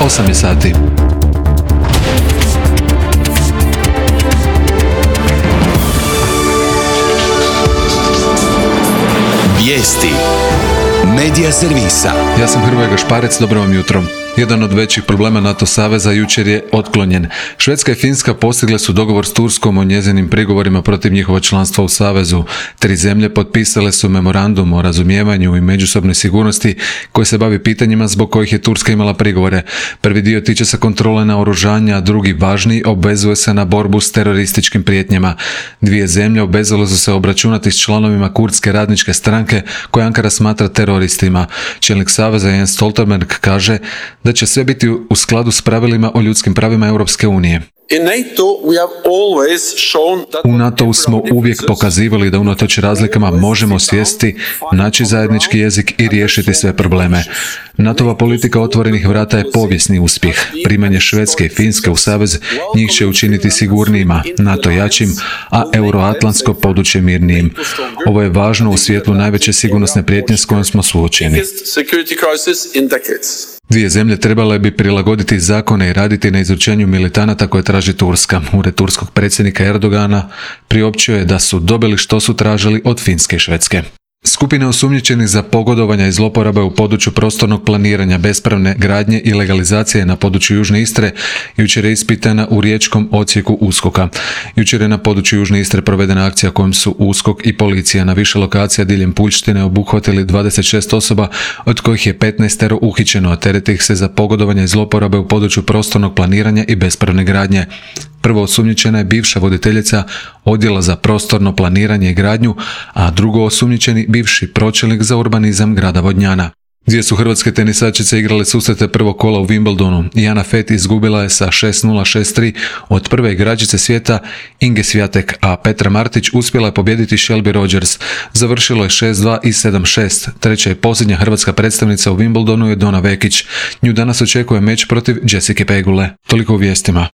8 je sati. Vijesti Medija servisa. Ja sam Hrvoje Gašparec, dobro vam jutro. Jedan od većih problema NATO saveza jučer je otklonjen. Švedska i Finska postigle su dogovor s Turskom o njezinim prigovorima protiv njihova članstva u savezu. 3 zemlje potpisale su memorandum o razumijevanju i međusobnoj sigurnosti koji se bavi pitanjima zbog kojih je Turska imala prigovore. Prvi dio tiče se kontrole naoružanja, a drugi važniji obvezuje se na borbu s terorističkim prijetnjama. 2 zemlje obvezale su se obračunati s članovima kurdske radničke stranke koje Ankara smatra teroristima. Čelnik saveza Jens Stoltenberg kaže da će sve biti u skladu s pravilima o ljudskim pravima Europske unije. U NATO-u smo uvijek pokazivali da unatoč razlikama možemo sjesti, naći zajednički jezik i riješiti sve probleme. NATO-va politika otvorenih vrata je povijesni uspjeh. Primanje Švedske i Finske u savez njih će učiniti sigurnijima, NATO jačim, a euroatlantsko područje mirnijim. Ovo je važno u svjetlu najveće sigurnosne prijetnje s kojom smo suočeni. 2 zemlje trebale bi prilagoditi zakone i raditi na izručenju militanata koje traži Turska. Ured turskog predsjednika Erdogana priopćio je da su dobili što su tražili od Finske i Švedske. Skupina osumnjičenih za pogodovanja i zloporabe u području prostornog planiranja, bespravne gradnje i legalizacije na području Južne Istre jučer je ispitana u riječkom odsjeku USKOK-a. Jučer je na području Južne Istre provedena akcija kojom su USKOK i policija na više lokacija diljem Puljštine obuhvatili 26 osoba, od kojih je 15 uhićeno, a tereti ih se za pogodovanje i zloporabe u području prostornog planiranja i bespravne gradnje. Prvo osumnjičena je bivša voditeljica odjela za prostorno planiranje i gradnju, a drugo osumnjičeni bivši pročelnik za urbanizam grada Vodnjana. 2 su hrvatske tenisačice igrale susrete prvog kola u Wimbledonu. Jana Fett izgubila je sa 6-0, 6-3 od prve igračice svijeta Inge Swiatek, a Petra Martić uspjela je pobijediti Shelby Rogers. Završilo je 6-2 i 7-6. Treća i posljednja hrvatska predstavnica u Wimbledonu je Dona Vekić. Nju danas očekuje meč protiv Jessica Pegule. Toliko u vijestima.